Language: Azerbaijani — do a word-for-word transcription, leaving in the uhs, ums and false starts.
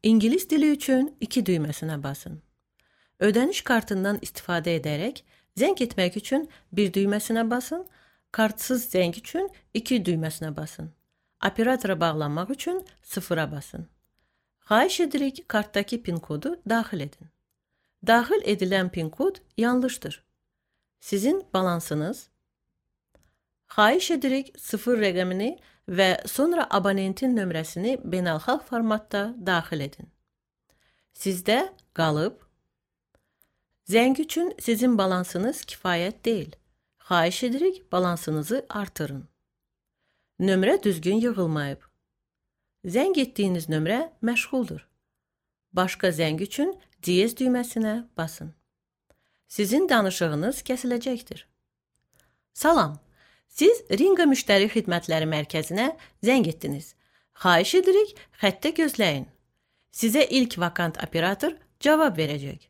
İngilis dili üçün iki düymesine basın. Ödəniş kartından istifadə edərək zəng etmək üçün bir düymesine basın, kartsız zəng üçün iki düymesine basın. Operatora bağlanmaq üçün sıfıra basın. Xahiş edirik kartdaki pin kodu daxil edin. Daxil edilən pin kod yanlışdır. Sizin balansınız. Xahiş edirik sıfır rəqəmini və sonra abonentin nömrəsini beynəlxalq formatda daxil edin. Sizdə qalıb. Zəng üçün sizin balansınız kifayət deyil. Xahiş edirik balansınızı artırın. Nömrə düzgün yığılmayıb. Zəng etdiyiniz nömrə məşğuldur. Başqa zəng üçün diyez düyməsinə basın. Sizin danışığınız kəsiləcəkdir. Salam, siz Ringa Müştəri Xidmətləri Mərkəzinə zəng etdiniz. Xahiş edirik xəttə gözləyin. Sizə ilk vakant operator cavab verəcək.